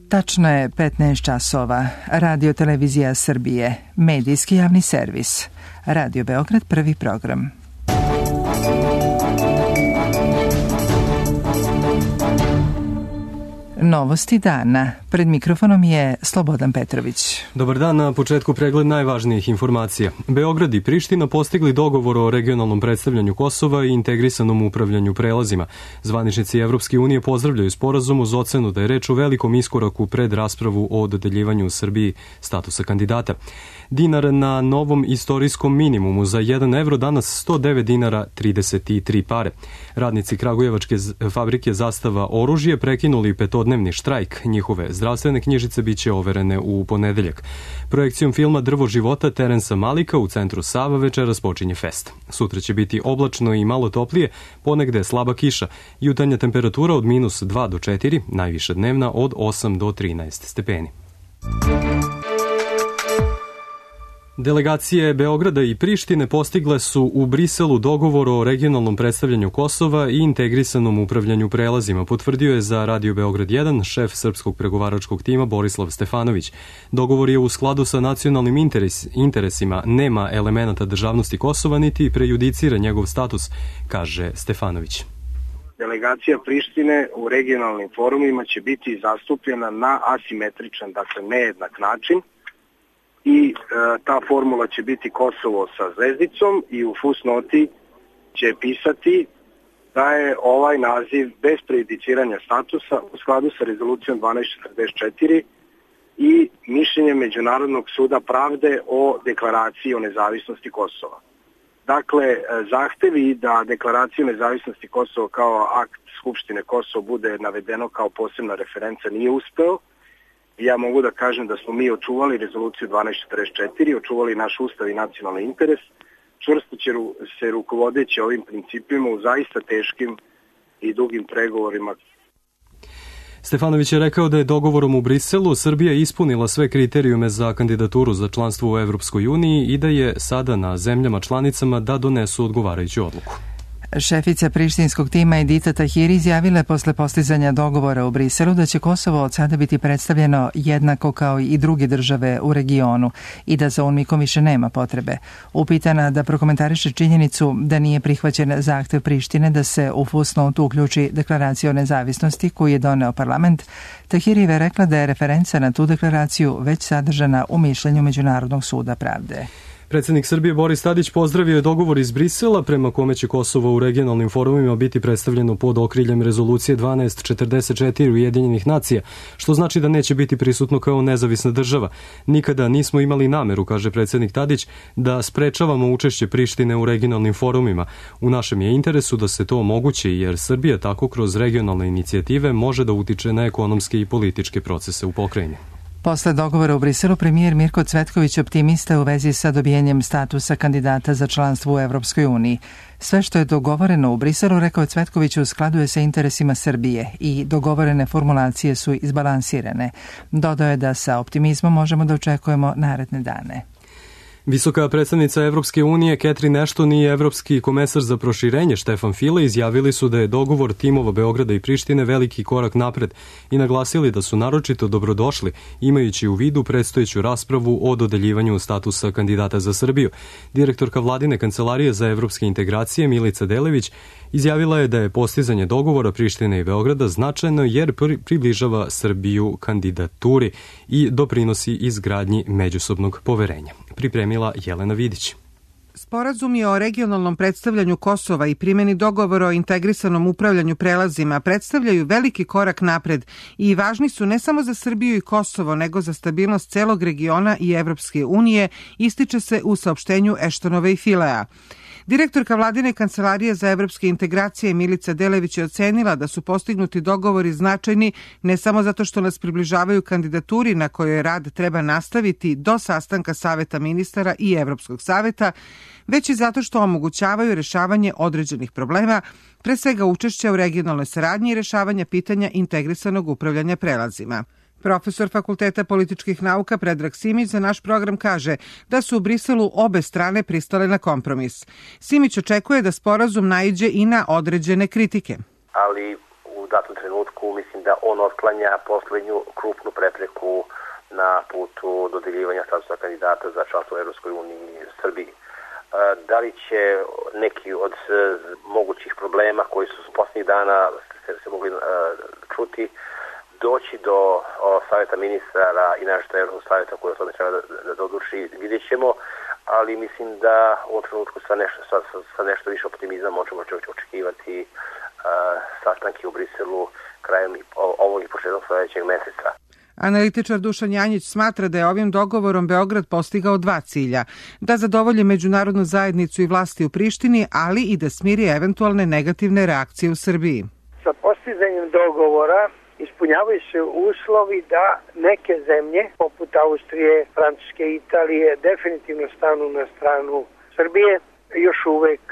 Tačno je 15 časova. Radio Televizija Srbije, medijski javni servis. Radio Beograd, prvi program. Novosti dana. Pred mikrofonom je Slobodan Petrović. Dobar dan, na početku pregled najvažnijih informacija. Beograd i Priština postigli dogovor o regionalnom predstavljanju Kosova i integrisanom upravljanju prelazima. Zvaničnici Evropske unije pozdravljaju sporazum uz ocenu da je reč o velikom iskoraku pred raspravu o dodeljivanju u Srbiji statusa kandidata. Dinar na novom istorijskom minimumu, za 1 evro danas 109 dinara 33 pare. Radnici kragujevačke fabrike Zastava oružje prekinuli petodnevni štrajk. Njihove zdravstvene knjižice biće overene u ponedeljak. Projekcijom filma Drvo života Terensa Malika u centru Sava večeras počinje fest. Sutra će biti oblačno i malo toplije, ponegde slaba kiša. Jutarnja temperatura od -2 do 4, najviša dnevna od 8 do 13 stepeni. Delegacije Beograda i Prištine postigle su u Briselu dogovor o regionalnom predstavljanju Kosova i integrisanom upravljanju prelazima, potvrdio je za Radio Beograd 1 šef srpskog pregovaračkog tima Borislav Stefanović. Dogovor je u skladu sa nacionalnim interesima, nema elemenata državnosti Kosova niti prejudicira njegov status, kaže Stefanović. Delegacija Prištine u regionalnim forumima će biti zastupljena na asimetričan, dakle nejednak način, i ta formula će biti Kosovo sa zvezdicom i u fusnoti će pisati da je ovaj naziv bez prejudiciranja statusa u skladu sa rezolucijom 1244 i mišljenjem Međunarodnog suda pravde o deklaraciji o nezavisnosti Kosova. Dakle, zahtevi da deklaraciju o nezavisnosti Kosova kao akt Skupštine Kosova bude navedeno kao posebna referenca nije uspeo. Ja mogu da kažem da smo mi očuvali rezoluciju 1244, očuvali naš ustav i nacionalni interes, čvrsto će se rukovodeći ovim principima u zaista teškim i dugim pregovorima. Stefanović je rekao da je dogovorom u Briselu Srbija ispunila sve kriterijume za kandidaturu za članstvo u Evropskoj uniji i da je sada na zemljama članicama da donesu odgovarajuću odluku. Šefica prištinskog tima Edita Tahiri izjavila posle postizanja dogovora u Briselu da će Kosovo od sada biti predstavljeno jednako kao i druge države u regionu i da za UNMIK-om više nema potrebe. Upitana da prokomentariše činjenicu da nije prihvaćen zahtev Prištine da se u fusnotu uključi deklaracija o nezavisnosti koju je doneo parlament, Tahirijeva je rekla da je referenca na tu deklaraciju već sadržana u mišljenju Međunarodnog suda pravde. Predsednik Srbije Boris Tadić pozdravio je dogovor iz Brisela prema kome će Kosovo u regionalnim forumima biti predstavljeno pod okriljem rezolucije 1244 Ujedinjenih nacija, što znači da neće biti prisutno kao nezavisna država. Nikada nismo imali nameru, kaže predsednik Tadić, da sprečavamo učešće Prištine u regionalnim forumima. U našem je interesu da se to omogući, jer Srbija tako kroz regionalne inicijative može da utiče na ekonomske i političke procese u pokrajini. Posle dogovora u Briselu, premijer Mirko Cvetković optimista u vezi sa dobijenjem statusa kandidata za članstvo u Evropskoj uniji. Sve što je dogovoreno u Briselu, rekao Cvetković, u skladu je sa interesima Srbije i dogovorene formulacije su izbalansirane. Dodao je da sa optimizmom možemo da očekujemo naredne dane. Visoka predstavnica Evropske unije Catherine Ashton i evropski komesar za proširenje Štefan File izjavili su da je dogovor timova Beograda i Prištine veliki korak napred i naglasili da su naročito dobrodošli, imajući u vidu predstojeću raspravu o dodeljivanju statusa kandidata za Srbiju. Direktorka vladine kancelarije za evropske integracije Milica Delević izjavila je da je postizanje dogovora Prištine i Beograda značajno jer približava Srbiju kandidaturi i doprinosi izgradnji međusobnog poverenja. Pripremila Jelena Vidić. Sporazumi o regionalnom predstavljanju Kosova i primjeni dogovora o integrisanom upravljanju prelazima predstavljaju veliki korak napred i važni su ne samo za Srbiju i Kosovo, nego za stabilnost celog regiona i Evropske unije, ističe se u saopštenju Ashtonove i Filea. Direktorka vladine kancelarije za evropske integracije Milica Delević je ocenila da su postignuti dogovori značajni ne samo zato što nas približavaju kandidaturi na kojoj rad treba nastaviti do sastanka Saveta ministara i Evropskog saveta, već i zato što omogućavaju rešavanje određenih problema, pre svega učešća u regionalnoj saradnji i rešavanja pitanja integrisanog upravljanja prelazima. Profesor Fakulteta političkih nauka Predrag Simić za naš program kaže da su u Briselu obe strane pristale na kompromis. Simić očekuje da sporazum naiđe i na određene kritike. Ali u datom trenutku mislim da on otklanja poslednju krupnu prepreku na putu dodeljivanja statusa kandidata za članstvo u Evropskoj uniji Srbiji. Da li će neki od mogućih problema koji su poslednjih dana se mogli čuti doći do savjeta ministara i našto Evropskog savjeta koji o tome treba da odluči, vidjet ćemo, ali mislim da u ovom trenutku sa nešto više optimizma možemo očekivati sastanke u Briselu krajem ovog i početkom sledećeg meseca. Analitičar Dušan Janjić smatra da je ovim dogovorom Beograd postigao dva cilja, da zadovolji međunarodnu zajednicu i vlasti u Prištini, ali i da smiri eventualne negativne reakcije u Srbiji. Sa postizanjem dogovora ispunjavaju se uslovi da neke zemlje, poput Austrije, Francuske i Italije, definitivno stanu na stranu Srbije. Još uvek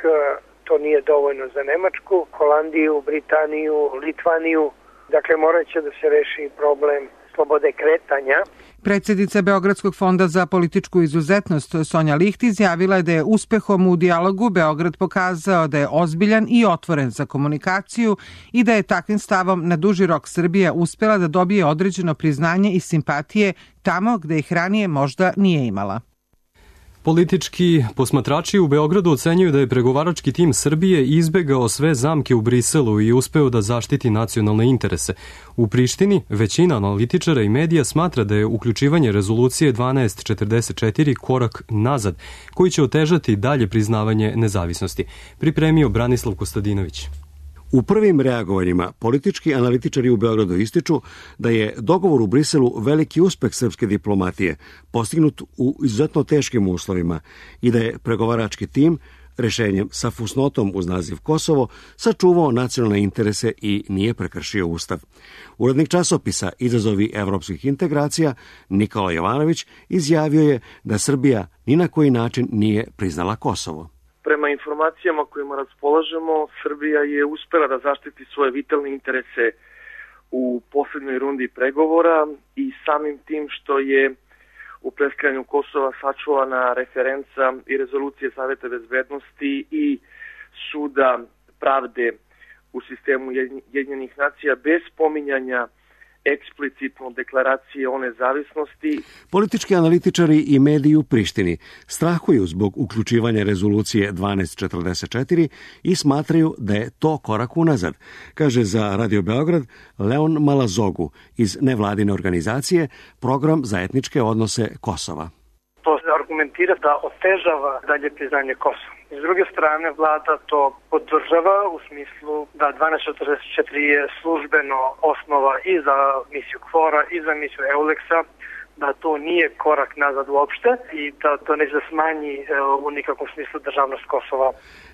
to nije dovoljno za Nemačku, Holandiju, Britaniju, Litvaniju. Dakle, morat će da se reši problem slobode kretanja. Predsjednica Beogradskog fonda za političku izuzetnost Sonja Licht izjavila je da je uspehom u dijalogu Beograd pokazao da je ozbiljan i otvoren za komunikaciju i da je takvim stavom na duži rok Srbija uspela da dobije određeno priznanje i simpatije tamo gde ih ranije možda nije imala. Politički posmatrači u Beogradu ocenjuju da je pregovarački tim Srbije izbegao sve zamke u Briselu i uspeo da zaštiti nacionalne interese. U Prištini većina analitičara i medija smatra da je uključivanje rezolucije 1244 korak nazad, koji će otežati dalje priznavanje nezavisnosti. Pripremio Branislav Kostadinović. U prvim reagovanjima politički analitičari u Beogradu ističu da je dogovor u Briselu veliki uspeh srpske diplomatije, postignut u izuzetno teškim uslovima i da je pregovarački tim rešenjem sa fusnotom uz naziv Kosovo sačuvao nacionalne interese i nije prekršio ustav. Urednik časopisa Izazovi evropskih integracija Nikola Jovanović izjavio je da Srbija ni na koji način nije priznala Kosovo. Prema informacijama kojima raspolažemo, Srbija je uspela da zaštiti svoje vitalne interese u poslednjoj rundi pregovora i samim tim što je u preskajanju Kosova sačuvana referenca i rezolucije Saveta bezbednosti i Suda pravde u sistemu Ujedinjenih nacija bez spominjanja eksplicitno deklaracije o nezavisnosti. Politički analitičari i mediji u Prištini strahuju zbog uključivanja rezolucije 1244 i smatraju da je to korak unazad, kaže za Radio Beograd Leon Malazogu iz nevladine organizacije Program za etničke odnose Kosova. To se argumentira da otežava dalje priznanje Kosova. S druge strane, vlada to podržava u smislu da 1244 je službeno osnova i za misiju KFOR-a i za misiju EULEX-a, da to nije korak nazad uopšte i da to neće da smanji u nikakvom smislu državnost Kosova.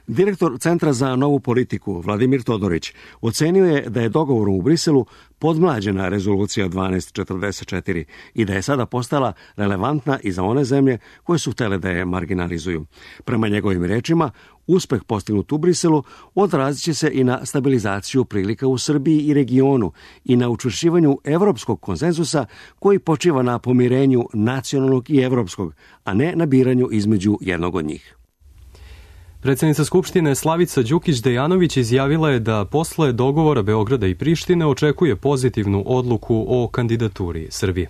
Direktor Centra za novu politiku Vladimir Todorić ocenio je da je dogovorom u Briselu podmlađena rezolucija 1244 i da je sada postala relevantna i za one zemlje koje su htele da je marginalizuju. Prema njegovim rečima, uspeh postignut u Briselu odrazit će se i na stabilizaciju prilika u Srbiji i regionu i na učvršćivanju evropskog konsenzusa koji počiva na pomirenju nacionalnog i evropskog, a ne na biranju između jednog od njih. Predsjednica Skupštine Slavica Đukić-Dejanović izjavila je da posle dogovora Beograda i Prištine očekuje pozitivnu odluku o kandidaturi Srbije.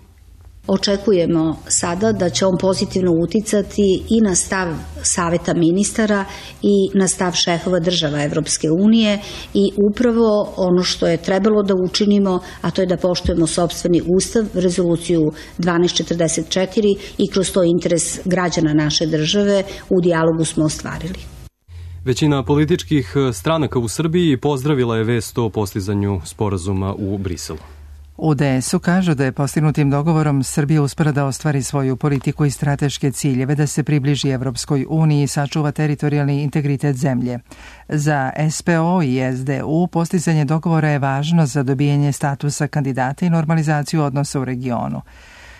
Očekujemo sada da će on pozitivno uticati i na stav Saveta ministara i na stav šefova država Evropske unije i upravo ono što je trebalo da učinimo, a to je da poštujemo sopstveni ustav, rezoluciju 1244 i kroz to interes građana naše države u dijalogu smo ostvarili. Većina političkih stranaka u Srbiji pozdravila je vest o postizanju sporazuma u Briselu. U DS-u kažu da je postignutim dogovorom Srbija uspela da ostvari svoju politiku i strateške ciljeve, da se približi Evropskoj uniji i sačuva teritorijalni integritet zemlje. Za SPO i SDU postizanje dogovora je važno za dobijanje statusa kandidata i normalizaciju odnosa u regionu.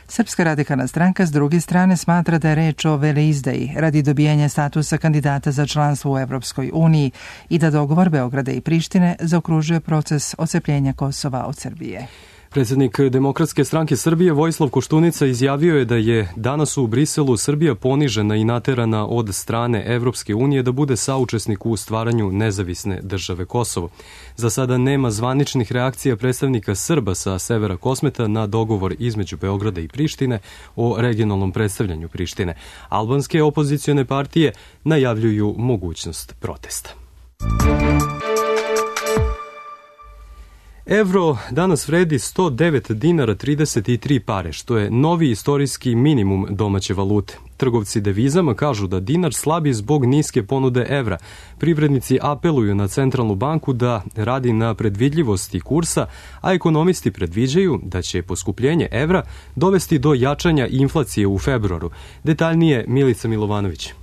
Srpska radikalna stranka s druge strane smatra da je reč o veleizdaji radi dobijanja statusa kandidata za članstvo u Evropskoj uniji i da dogovor Beograda i Prištine zaokružuje proces odcepljenja Kosova od Srbije. Predsjednik Demokratske stranke Srbije Vojislav Koštunica izjavio je da je danas u Briselu Srbija ponižena i naterana od strane Evropske unije da bude saučesnik u stvaranju nezavisne države Kosovo. Za sada nema zvaničnih reakcija predstavnika Srba sa severa Kosmeta na dogovor između Beograda i Prištine o regionalnom predstavljanju Prištine. Albanske opozicione partije najavljuju mogućnost protesta. Evro danas vredi 109 dinara 33 pare, što je novi istorijski minimum domaće valute. Trgovci devizama kažu da dinar slabi zbog niske ponude evra. Privrednici apeluju na centralnu banku da radi na predvidljivosti kursa, a ekonomisti predviđaju da će poskupljenje evra dovesti do jačanja inflacije u februaru. Detaljnije Milica Milovanović.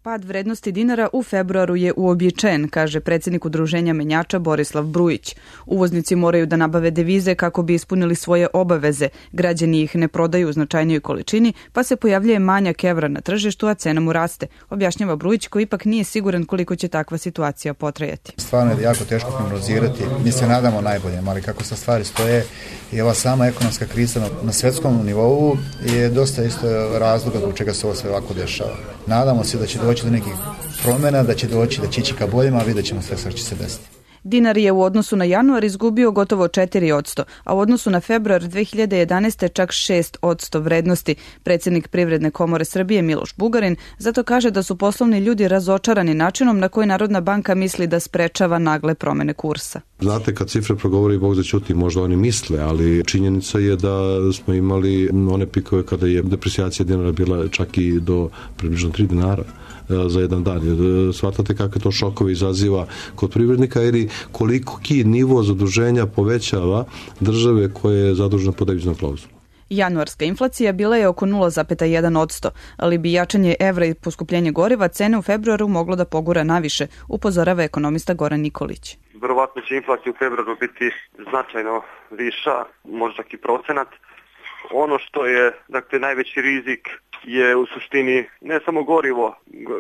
Pad vrednosti dinara u februaru je uobičajen, kaže predsjednik Udruženja menjača Borislav Brujić. Uvoznici moraju da nabave devize kako bi ispunili svoje obaveze. Građani ih ne prodaju u značajnijoj količini, pa se pojavljuje manjak evra na tržištu, a cena mu raste. Objašnjava Brujić, koji ipak nije siguran koliko će takva situacija potrajati. Stvarno je jako teško prognozirati. Mi se nadamo najboljem, ali kako sa stvari stoje i ova sama ekonomska kriza na svetskom nivou je dosta isto razloga zbog čega se ovo sve ovako dešava. Nadamo se da će doći do nekih promjena, da će ići ka boljima, a vidjet ćemo sve što će se desiti. Dinar je u odnosu na januar izgubio gotovo 4%, a u odnosu na februar 2011. čak 6% vrednosti. Predsjednik Privredne komore Srbije Miloš Bugarin zato kaže da su poslovni ljudi razočarani načinom na koji Narodna banka misli da sprečava nagle promjene kursa. Znate, kad cifre progovori, Bog zaćuti, možda oni misle, ali činjenica je da smo imali one pikove kada je deprecijacija dinara bila čak i do približno 3 dinara za jedan dan. Shvatate kakve to šokove izaziva kod privrednika ili koliki nivo zaduženja povećava države koje je zadužena po deviznom klauzulom. Januarska inflacija bila je oko 0,1%, ali bi jačanje evra i poskupljenje goriva cene u februaru moglo da pogura naviše, upozorava ekonomista Goran Nikolić. Verovatno će inflacija u februaru biti značajno viša, možda i procenat. Ono što je, dakle, najveći rizik je u suštini ne samo gorivo,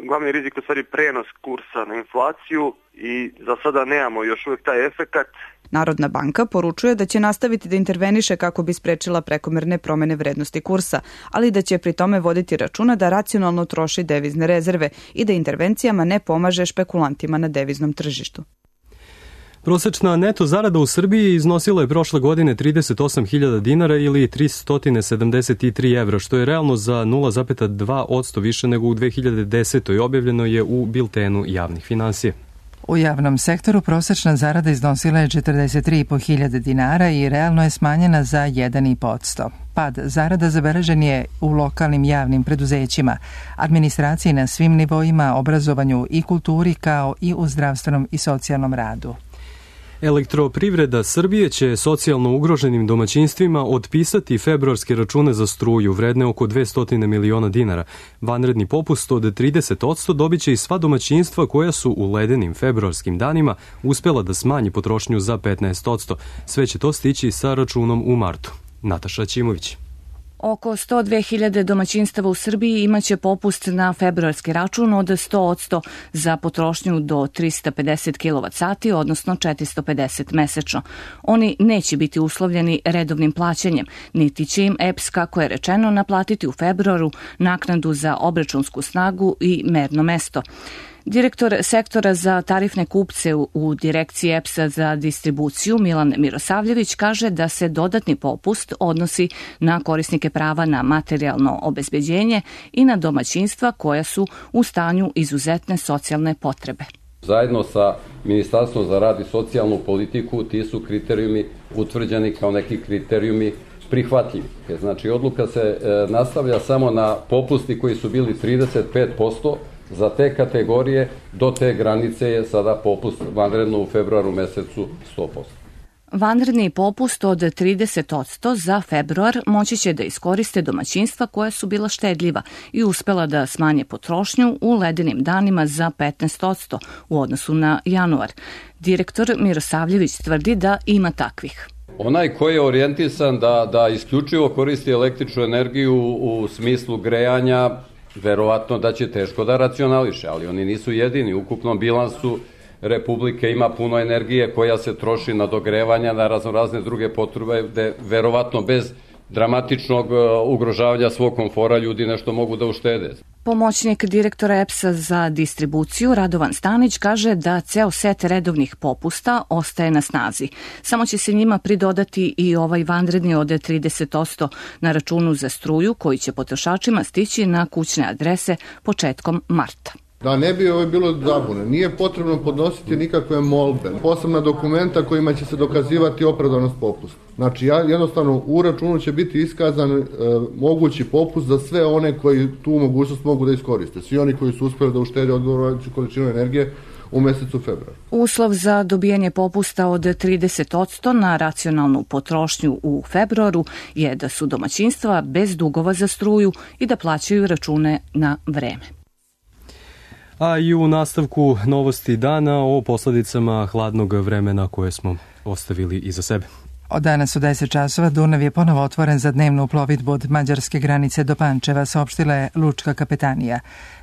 glavni rizik je u stvari prenos kursa na inflaciju i za sada nemamo još uvijek taj efekat. Narodna banka poručuje da će nastaviti da interveniše kako bi sprečila prekomerne promjene vrednosti kursa, ali da će pri tome voditi računa da racionalno troši devizne rezerve i da intervencijama ne pomaže špekulantima na deviznom tržištu. Prosečna neto zarada u Srbiji iznosila je prošle godine 38.000 dinara ili 373 evra, što je realno za 0,2% više nego u 2010. Objavljeno je u biltenu javnih finansija. U javnom sektoru prosečna zarada iznosila je 43.500 dinara i realno je smanjena za 1,5%. Pad zarada zabeležen je u lokalnim javnim preduzećima, administraciji na svim nivoima, obrazovanju i kulturi kao i u zdravstvenom i socijalnom radu. Elektroprivreda Srbije će socijalno ugroženim domaćinstvima otpisati februarske račune za struju vredne oko 200 miliona dinara. Vanredni popust od 30% dobit će i sva domaćinstva koja su u ledenim februarskim danima uspela da smanji potrošnju za 15%. Sve će to stići sa računom u martu. Nataša Ćimović. Oko 102.000 domaćinstava u Srbiji imaće popust na februarski račun od 100% za potrošnju do 350 kWh, odnosno 450 mesečno. Oni neće biti uslovljeni redovnim plaćanjem, niti će im EPS, kako je rečeno, naplatiti u februaru naknadu za obračunsku snagu i merno mesto. Direktor sektora za tarifne kupce u direkciji EPS-a za distribuciju Milan Mirosavljević kaže da se dodatni popust odnosi na korisnike prava na materijalno obezbeđenje i na domaćinstva koja su u stanju izuzetne socijalne potrebe. Zajedno sa Ministarstvom za rad i socijalnu politiku ti su kriterijumi utvrđeni kao neki kriterijumi prihvatljivi. Znači, odluka se nastavlja samo na popusti koji su bili 35%, za te kategorije do te granice je sada popust vanredno u februaru mesecu 100%. Vanredni popust od 30% za februar moći će da iskoriste domaćinstva koja su bila štedljiva i uspela da smanje potrošnju u ledenim danima za 15% u odnosu na januar. Direktor Mirosavljević tvrdi da ima takvih. Onaj koji je orijentisan da isključivo koristi električnu energiju u smislu grejanja, verovatno da će teško da racionališe, ali oni nisu jedini. U ukupnom bilansu Republike ima puno energije koja se troši na dogrevanja, na razne druge potrebe, gde verovatno bez dramatičnog ugrožavanja svog komfora ljudi nešto mogu da uštede. Pomoćnik direktora EPS-a za distribuciju Radovan Stanić kaže da ceo set redovnih popusta ostaje na snazi. Samo će se njima pridodati i ovaj vanredni od 30% na računu za struju koji će potrošačima stići na kućne adrese početkom marta. Da ne bi bilo zabune, nije potrebno podnositi nikakve molbe, posebna dokumenta kojima će se dokazivati opravdanost popusta. Znači, jednostavno u računu će biti iskazan mogući popust za sve one koji tu mogućnost mogu da iskoriste. Svi oni koji su uspeli da uštede odgovarajuću količinu energije u mesecu februaru. Uslov za dobijanje popusta od 30% na racionalnu potrošnju u februaru je da su domaćinstva bez dugova za struju i da plaćaju račune na vreme. A i u nastavku novosti dana o posledicama hladnog vremena koje smo ostavili iza sebe. Od danas u 10 časova Dunav je ponovo otvoren za dnevnu plovidbu od mađarske granice do Pančeva, saopštila je Lučka kapetanija.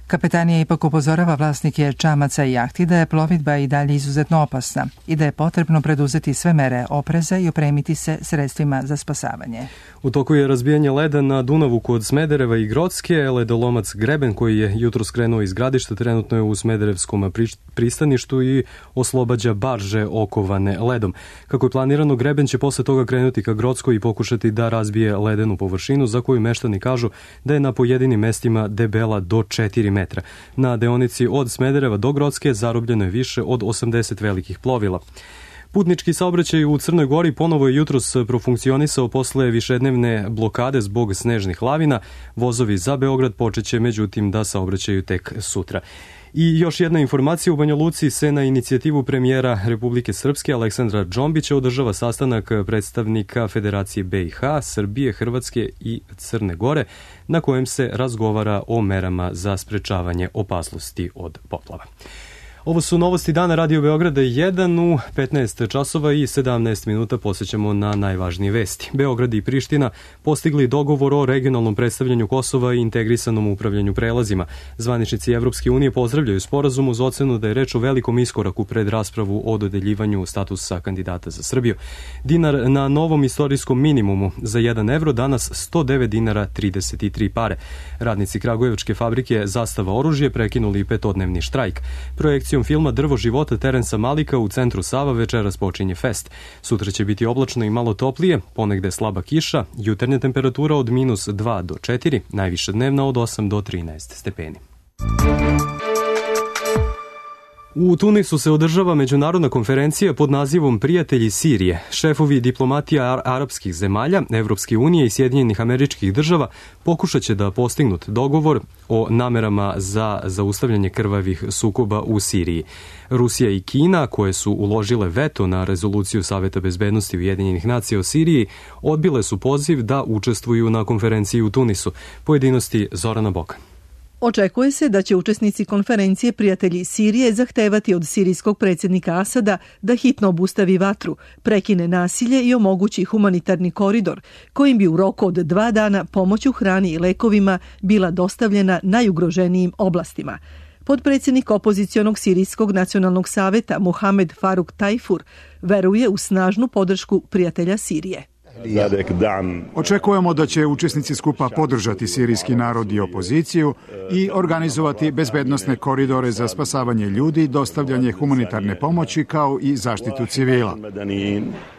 Kapetanija ipak upozorava vlasnike čamaca i jahti da je plovidba i dalje izuzetno opasna i da je potrebno preduzeti sve mere opreza i opremiti se sredstvima za spasavanje. U toku je razbijanje leda na Dunavu kod Smedereva i Grocke. Ledolomac Greben, koji je jutro skrenuo iz gradišta, trenutno je u Smederevskom pristaništu i oslobađa barže okovane ledom. Kako je planirano, Greben će posle toga krenuti ka Grockoj i pokušati da razbije ledenu površinu, za koju meštani kažu da je na pojedinim mestima debela do 4 metra. Na deonici od Smedereva do Grocke zarobljeno je više od 80 velikih plovila. Putnički saobraćaj u Crnoj Gori ponovo je jutros profunkcionisao posle višednevne blokade zbog snežnih lavina. Vozovi za Beograd počeće međutim da saobraćaju tek sutra. I još jedna informacija, u Banja Luci se na inicijativu premijera Republike Srpske Aleksandra Džombića održava sastanak predstavnika Federacije BiH, Srbije, Hrvatske i Crne Gore, na kojem se razgovara o merama za sprečavanje opasnosti od poplava. Ovo su novosti dana Radio Beograda 1 u 15 časova i 17 minuta posjećamo na najvažnije vesti. Beograd i Priština postigli dogovor o regionalnom predstavljanju Kosova i integrisanom upravljanju prelazima. Zvaničnici Evropske unije pozdravljaju sporazum uz ocenu da je reč o velikom iskoraku pred raspravu o dodeljivanju statusa kandidata za Srbiju. Dinar na novom istorijskom minimumu, za 1 evro danas 109 dinara 33 pare. Radnici kragujevačke fabrike Zastava oružje prekinuli petodnevni štrajk. Projekcijom filma Drvo života Terensa Malika u centru Sava večeras počinje fest. Sutra će biti oblačno i malo toplije, ponegde slaba kiša, jutarnja temperatura od -2 do 4, najviša dnevna od 8 do 13 stepeni. U Tunisu se održava međunarodna konferencija pod nazivom Prijatelji Sirije. Šefovi diplomatija arapskih zemalja, Evropske unije i Sjedinjenih Američkih Država pokušat će da postignut dogovor o namerama za zaustavljanje krvavih sukoba u Siriji. Rusija i Kina, koje su uložile veto na rezoluciju Saveta bezbednosti Ujedinjenih nacija o Siriji, odbile su poziv da učestvuju na konferenciji u Tunisu. Pojedinosti Zorana Bokan. Očekuje se da će učesnici konferencije Prijatelji Sirije zahtevati od sirijskog predsjednika Asada da hitno obustavi vatru, prekine nasilje i omogući humanitarni koridor, kojim bi u roku od 2 dana pomoć u hrani i lekovima bila dostavljena najugroženijim oblastima. Podpredsjednik opozicionog Sirijskog nacionalnog saveta Mohamed Faruk Tajfur veruje u snažnu podršku Prijatelja Sirije. Očekujemo da će učesnici skupa podržati sirijski narod i opoziciju i organizovati bezbednosne koridore za spasavanje ljudi, dostavljanje humanitarne pomoći kao i zaštitu civila.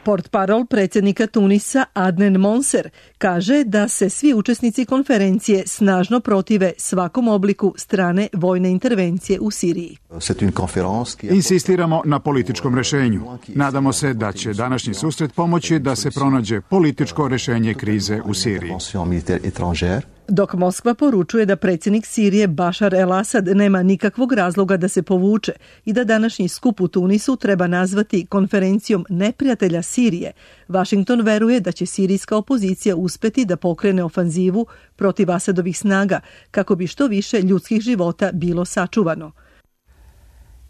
Portparol predsjednika Tunisa Adnen Monser kaže da se svi učesnici konferencije snažno protive svakom obliku strane vojne intervencije u Siriji. Insistiramo na političkom rešenju. Nadamo se da će današnji susret pomoći da se pronađe političko rešenje krize u Siriji. Dok Moskva poručuje da predsjednik Sirije Bašar el-Asad nema nikakvog razloga da se povuče i da današnji skup u Tunisu treba nazvati konferencijom neprijatelja Sirije, Vašington veruje da će sirijska opozicija uspeti da pokrene ofanzivu protiv Asadovih snaga kako bi što više ljudskih života bilo sačuvano.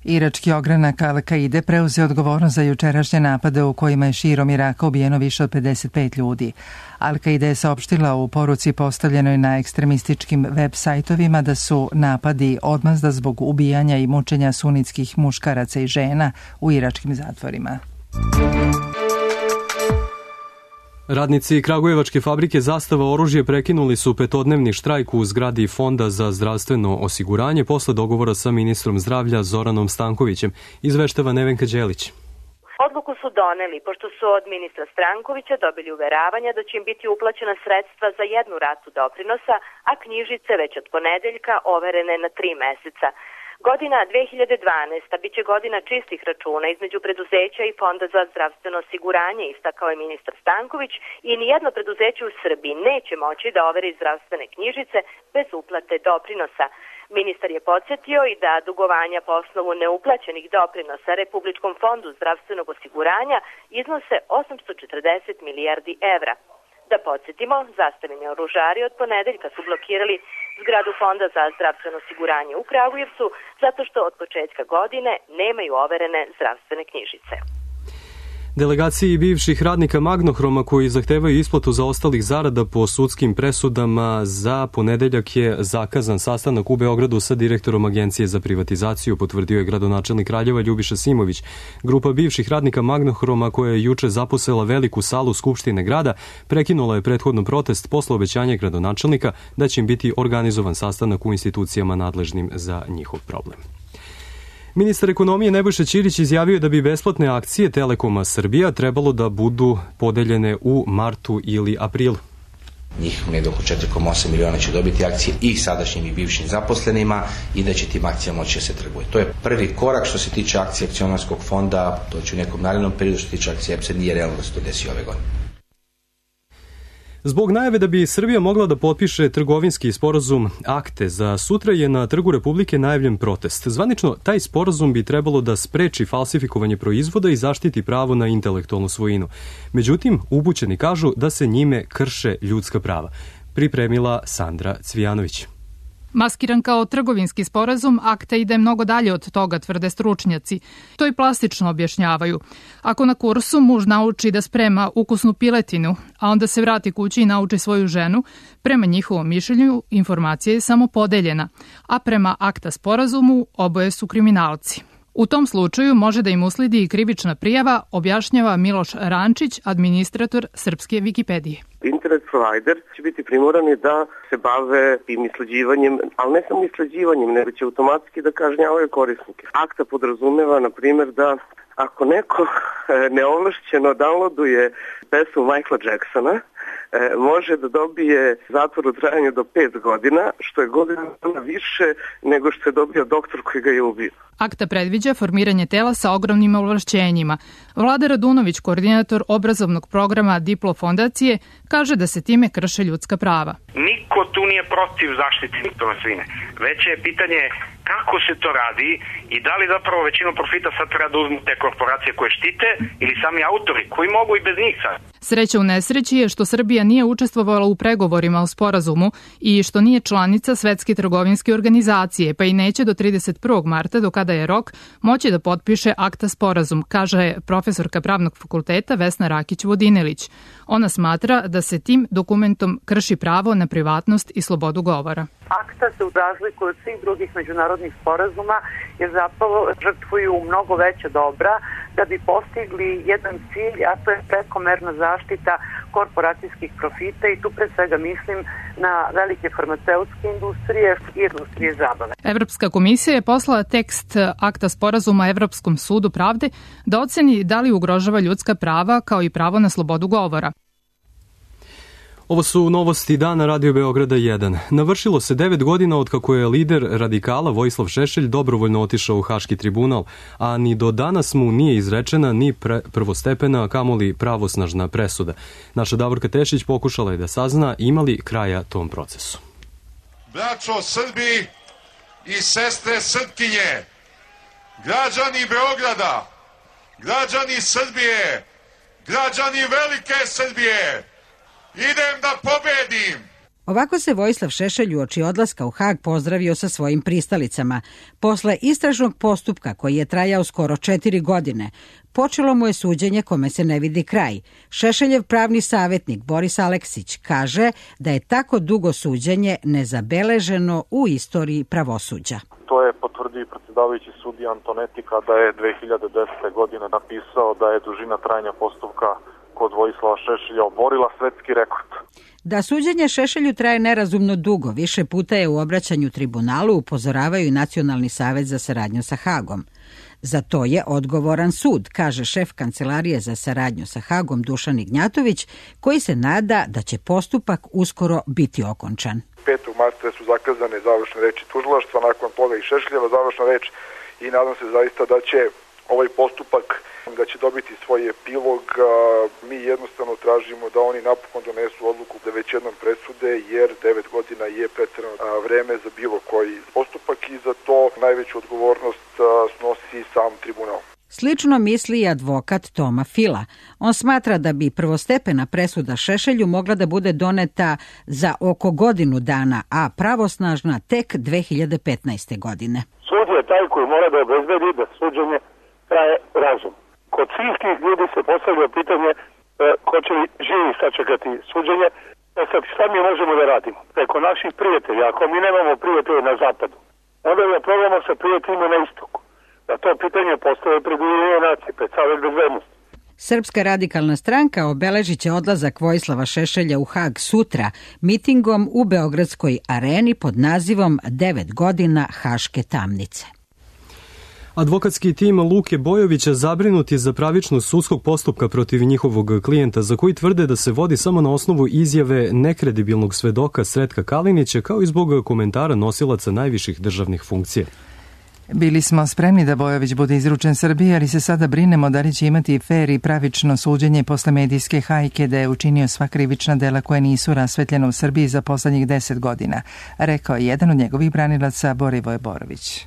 Irački ogranak Al-Kaide preuzeo odgovornost za jučerašnje napade u kojima je širom Iraka ubijeno više od 55 ljudi. Al-Kaide je saopštila u poruci postavljenoj na ekstremističkim web sajtovima da su napadi odmazda zbog ubijanja i mučenja sunitskih muškaraca i žena u iračkim zatvorima. Radnici Kragujevačke fabrike Zastava oružje prekinuli su petodnevni štrajk u zgradi Fonda za zdravstveno osiguranje posle dogovora sa ministrom zdravlja Zoranom Stankovićem, izveštava Nevenka Đelić. Odluku su doneli pošto su od ministra Stankovića dobili uveravanja da će im biti uplaćena sredstva za jednu ratu doprinosa, a knjižice već od ponedeljka overene na 3 meseca. Godina 2012. biće godina čistih računa između preduzeća i Fonda za zdravstveno osiguranje, istakao je ministar Stanković, i nijedno preduzeće u Srbiji neće moći da overi zdravstvene knjižice bez uplate doprinosa. Ministar je podsjetio i da dugovanja po osnovu neuplaćenih doprinosa Republičkom fondu zdravstvenog osiguranja iznose 840 milijardi evra. Da podsjetimo, Zastavini oružari od ponedeljka su blokirali zgradu Fonda za zdravstveno osiguranje u Kragujevcu zato što od početka godine nemaju overene zdravstvene knjižice. Delegaciji bivših radnika Magnohroma koji zahtevaju isplatu zaostalih zarada po sudskim presudama za ponedeljak je zakazan sastanak u Beogradu sa direktorom Agencije za privatizaciju, potvrdio je gradonačelnik Kraljeva Ljubiša Simović. Grupa bivših radnika Magnohroma koja je juče zaposela veliku salu Skupštine grada prekinula je prethodno protest posle obećanja gradonačelnika da će im biti organizovan sastanak u institucijama nadležnim za njihov problem. Ministar ekonomije Nebojša Ćirić izjavio da bi besplatne akcije Telekoma Srbija trebalo da budu podeljene u martu ili aprilu. Njih negdje oko 4,8 miliona će dobiti akcije i sadašnjim i bivšim zaposlenima i da će tim akcijama moći se trguje. To je prvi korak što se tiče akcije akcionarskog fonda, to će u nekom narednom periodu što se tiče akcije EPS-a nije realno da se to desi ove godine. Zbog najave da bi Srbija mogla da potpiše trgovinski sporazum akte, za sutra je na Trgu Republike najavljen protest. Zvanično, taj sporazum bi trebalo da spreči falsifikovanje proizvoda i zaštiti pravo na intelektualnu svojinu. Međutim, upućeni kažu da se njime krše ljudska prava. Pripremila Sandra Cvijanović. Maskiran kao trgovinski sporazum, akta ide mnogo dalje od toga, tvrde stručnjaci. To i plastično objašnjavaju. Ako na kursu muž nauči da sprema ukusnu piletinu, a onda se vrati kući i nauči svoju ženu, prema njihovom mišljenju informacija je samo podeljena, a prema akta sporazumu oboje su kriminalci. U tom slučaju može da im usledi i krivična prijava, objašnjava Miloš Rančić, administrator srpske Wikipedije. Internet provider će biti primorani da se bave tim isleđivanjem, ali ne samo isleđivanjem, nego će automatski da kažnjavaju korisnike. Akta podrazumeva, na primjer, da ako neko neovlašćeno downloaduje pesmu Michaela Jacksona, može da dobije zatvor u trajanju do 5 godina, što je godina više nego što je dobio doktor koji ga je ubio. Akta predviđa formiranje tela sa ogromnim ovlašćenjima. Vlada Radunović, koordinator obrazovnog programa Diplo fondacije, kaže da se time krše ljudska prava. Niko tu nije protiv zaštite intelektualne svojine. Već je pitanje kako se to radi i da li zapravo većinu profita sad treba da uzmu te korporacije koje štite ili sami autori koji mogu i bez njih sad. Sreća u nesreći je što Srbija nije učestvovala u pregovorima o sporazumu i što nije članica Svetske trgovinske organizacije, pa i neće do 31. marta, do kada je rok, moći da potpiše akta sporazum, kaže profesorka pravnog fakulteta Vesna Rakić-Vodinelić. Ona smatra da se tim dokumentom krši pravo na privatnost i slobodu govora. Akta se razlikuje od svih drugih međunarodnih sporazuma jer zapravo žrtvuju mnogo veća dobra da bi postigli jedan cilj, a to je prekomerna zaštita korporacijskih profita i tu pre svega mislim na velike farmaceutske industrije i industrije zabave. Evropska komisija je poslala tekst akta sporazuma Evropskom sudu pravde da oceni da li ugrožava ljudska prava kao i pravo na slobodu govora. Ovo su novosti dana Radio Beograda 1. Navršilo se 9 godina od kako je lider radikala Vojislav Šešelj dobrovoljno otišao u Haški tribunal, a ni do danas mu nije izrečena ni prvostepena, kamoli pravosnažna presuda. Naša Davorka Tešić pokušala je da sazna ima li kraja tom procesu. Braćo Srbi i sestre Srpkinje, građani Beograda, građani Srbije, građani velike Srbije, idem da pobedim! Ovako se Vojislav Šešelj uoči odlaska u Hag pozdravio sa svojim pristalicama. Posle istražnog postupka koji je trajao skoro 4 godine, počelo mu je suđenje kome se ne vidi kraj. Šešeljev pravni savjetnik Boris Aleksić kaže da je tako dugo suđenje nezabeleženo u istoriji pravosuđa. To je potvrdio i predsjedavajući sudija Antonetti kada je 2010. godine napisao da je dužina trajanja postupka kod Vojislava Šešelja oborila svetski rekord. Da suđenje Šešelju traje nerazumno dugo, više puta je u obraćanju tribunalu upozoravaju i Nacionalni savet za saradnju sa Hagom. Za to je odgovoran sud, kaže šef Kancelarije za saradnju sa Hagom Dušan Ignjatović, koji se nada da će postupak uskoro biti okončan. 5. marta su zakazane završne reči tužilaštva, nakon toga i Šešeljeva završna reč i nadam se zaista da će ovaj postupak da će dobiti svoj epilog. Mi jednostavno tražimo da oni napokon donesu odluku da već jednom presude, jer 9 godina je preterano vreme za bilo koji postupak i za to najveću odgovornost snosi sam tribunal. Slično misli i advokat Toma Fila. On smatra da bi prvostepena presuda Šešelju mogla da bude doneta za oko godinu dana, a pravosnažna tek 2015. godine. Sud je taj koji mora da obezbedi da suđenje traje razum. Kod svih tih ljudi se postavlja pitanje hoće li živi sačekati suđenje. Sad, šta mi možemo da radimo? Preko naših prijatelja, ako mi nemamo prijatelje na zapadu, onda da probamo sa prijateljima na istoku. Da to pitanje postoje pred Ujedinjene nacije, pred Savet bezbednosti. Srpska radikalna stranka obeležit će odlazak Vojislava Šešelja u Hag sutra mitingom u Beogradskoj areni pod nazivom 9 godina Haške tamnice. Advokatski tim Luke Bojovića zabrinut je za pravičnost sudskog postupka protiv njihovog klijenta, za koji tvrde da se vodi samo na osnovu izjave nekredibilnog svedoka Sretka Kalinića, kao i zbog komentara nosilaca najviših državnih funkcija. Bili smo spremni da Bojović bude izručen Srbiji, ali se sada brinemo da li će imati fer i pravično suđenje posle medijske hajke da je učinio sva krivična dela koja nisu rasvetljena u Srbiji za poslednjih 10 godina, rekao je jedan od njegovih branilaca Borivoje Borović.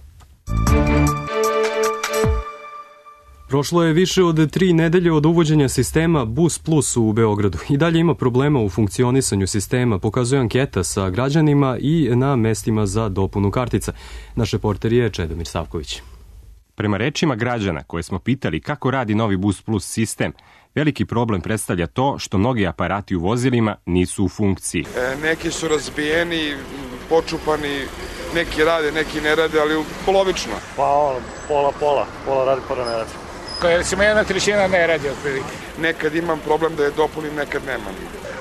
Prošlo je više od 3 nedelje od uvođenja sistema Bus Plus u Beogradu. I dalje ima problema u funkcionisanju sistema, pokazuje anketa sa građanima i na mestima za dopunu kartica. Naš reporter je Čedomir Savković. Prema rečima građana koje smo pitali kako radi novi Bus Plus sistem, veliki problem predstavlja to što mnogi aparati u vozilima nisu u funkciji. Neki su razbijeni, počupani, neki rade, neki ne rade, ali polovično. Pa pola radi, pola ne radi. Recimo 1/3 ne radi otprilike. Nekad imam problem da je dopunim, nekad nemam.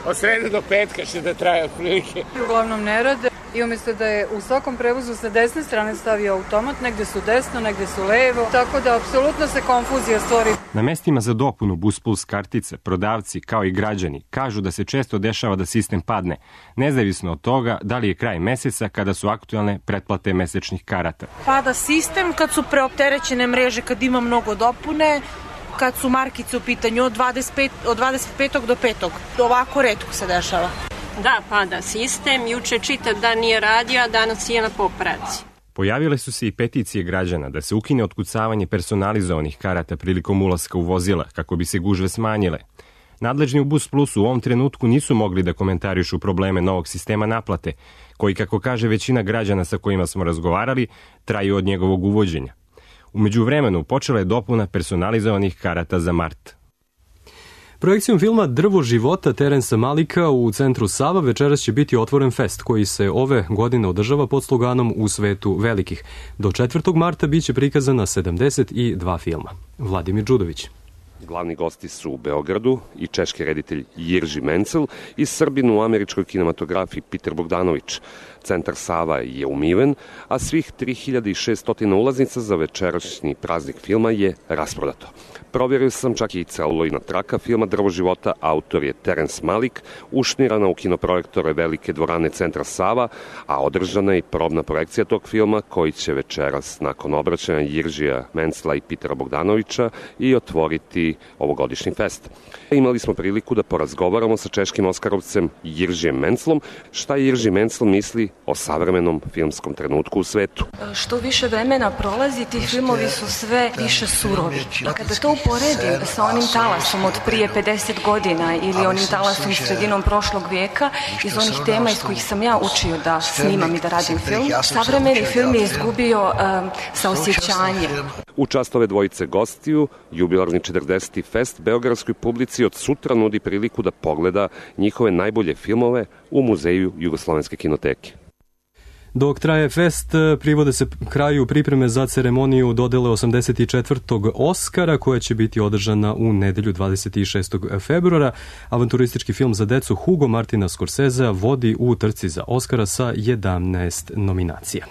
Od srede do petka će da traje otprilike. Uglavnom ne rade i umjesto da je u svakom prevozu sa desne strane stavio automat, negde su desno, negde su levo, tako da apsolutno se konfuzija stvori. Na mestima za dopunu Bus Plus kartice, prodavci kao i građani kažu da se često dešava da sistem padne, nezavisno od toga da li je kraj meseca kada su aktualne pretplate mesečnih karata. Pada sistem kad su preopterećene mreže, kad ima mnogo dopune, kad su markice u pitanju od 25. do 5. Ovako retko se dešava. Da, pada sistem. Juče čitav dan nije radio, a danas je na popravci. Pojavile su se i peticije građana da se ukine otkucavanje personalizovanih karata prilikom ulaska u vozila kako bi se gužve smanjile. Nadležni u Bus Plusu u ovom trenutku nisu mogli da komentarišu probleme novog sistema naplate, koji, kako kaže većina građana sa kojima smo razgovarali, traju od njegovog uvođenja. U međuvremenu počela je dopuna personalizovanih karata za mart. Projekcijom filma Drvo života Terensa Malika u centru Sava večeras će biti otvoren fest koji se ove godine održava pod sloganom U svetu velikih. Do 4. marta biće prikazana 72 filma. Vladimir Đudović. Glavni gosti su u Beogradu i češki reditelj Jirži Mencel i Srbin u američkoj kinematografiji Peter Bogdanović. Centar Sava je umiven, a svih 3600 ulaznica za večerašnji praznik filma je rasprodato. Provjerio sam čak i celulojna traka filma Drvo života, autor je Terence Malik, ušnirana u kinoprojektore velike dvorane Centra Sava, a održana je i probna projekcija tog filma koji će večeras nakon obraćanja Jiržija Mencela i Petera Bogdanovića i otvoriti vodi ovogodišnji fest. Imali smo priliku da porazgovaramo sa češkim oskarovcem Jiržijem Menclom, šta Jirži Mencl misli o savremenom filmskom trenutku u svetu. Što više vremena prolazi, ti filmovi su sve više surovi. A kada to uporedim sa onim talasom od prije 50 godina ili onim talasom sredinom prošlog vijeka, iz onih tema iz kojih sam ja učio da snimam i da radim film, savremeni film je izgubio saosjećanje. U čast ove dvojice gostiju, jubilarni 40. fest beogradskoj publici od sutra nudi priliku da pogleda njihove najbolje filmove u Muzeju Jugoslovenske kinoteke. Dok traje fest, privode se kraju pripreme za ceremoniju dodele 84. Oskara, koja će biti održana u nedelju 26. februara. Avanturistički film za decu Hugo Martina Scorsesea vodi u trci za Oskara sa 11 nominacija.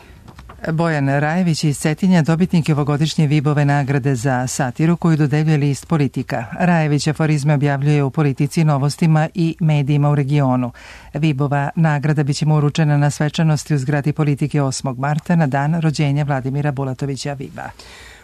Bojan Rajević iz Cetinja dobitnik je ovogodišnje Vibove nagrade za satiru koju dodeljuje list Politika. Rajević aforizme objavljuje u Politici, Novostima i medijima u regionu. Vibova nagrada biće mu uručena na svečanosti u zgradi Politike 8. marta na dan rođenja Vladimira Bulatovića Viba.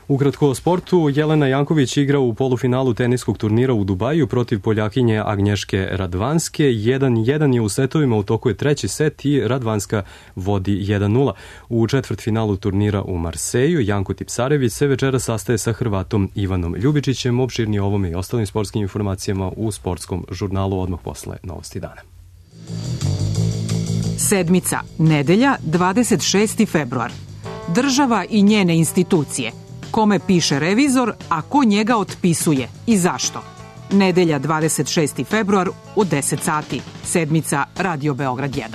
Ukratko o sportu, Jelena Janković igra u polufinalu teniskog turnira u Dubaju protiv Poljakinje Agnješke Radvanske. 1-1 je u setovima, u toku je treći set i Radvanska vodi 1-0. U četvrtfinalu turnira u Marseju Janko Tipsarević se večera sastaje sa Hrvatom Ivanom Ljubičićem. Opširnije ovome i ostalim sportskim informacijama u sportskom žurnalu odmah posle Novosti dana. Sedmica, nedelja, 26. februar. Država i njene institucije. Kome piše revizor, a ko njega otpisuje i zašto? Nedelja 26. februar u 10 sati. Sedmica, Radio Beograd 1.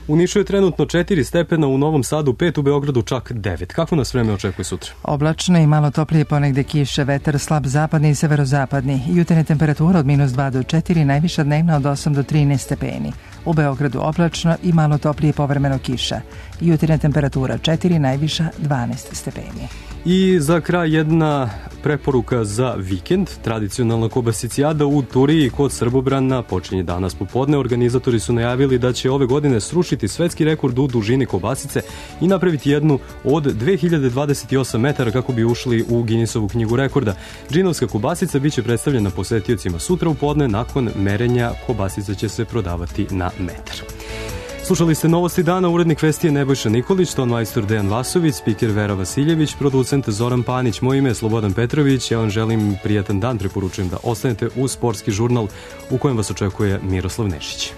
U Nišu je trenutno 4 stepena, u Novom Sadu 5, u Beogradu čak 9. Kako nas vreme očekuje sutra? Oblačno i malo toplije, ponegde kiše, vetar slab zapadni i severozapadni. Jutarnja temperatura od -2 do 4, najviša dnevna od 8 do 13 stepeni. U Beogradu oblačno i malo toplije, povremeno kiša. Jutarnja temperatura 4, najviša 12 stepeni. I za kraj jedna preporuka za vikend. Tradicionalna kobasicijada u Turiji kod Srbobrana počinje danas popodne. Organizatori su najavili da će ove godine srušiti svetski rekord u dužini kobasice i napraviti jednu od 2028 metara kako bi ušli u Guinnessovu knjigu rekorda. Džinovska kobasica biće predstavljena posetiocima sutra u podne. Nakon merenja kobasica će se prodavati na metar. Slušali ste Novosti dana, urednik vesti je Nebojša Nikolić, tonmajstor Dejan Vasović, spiker Vera Vasiljević, producent Zoran Panić, moje ime je Slobodan Petrović, ja vam želim prijatan dan, preporučujem da ostanete uz sportski žurnal u kojem vas očekuje Miroslav Nešić.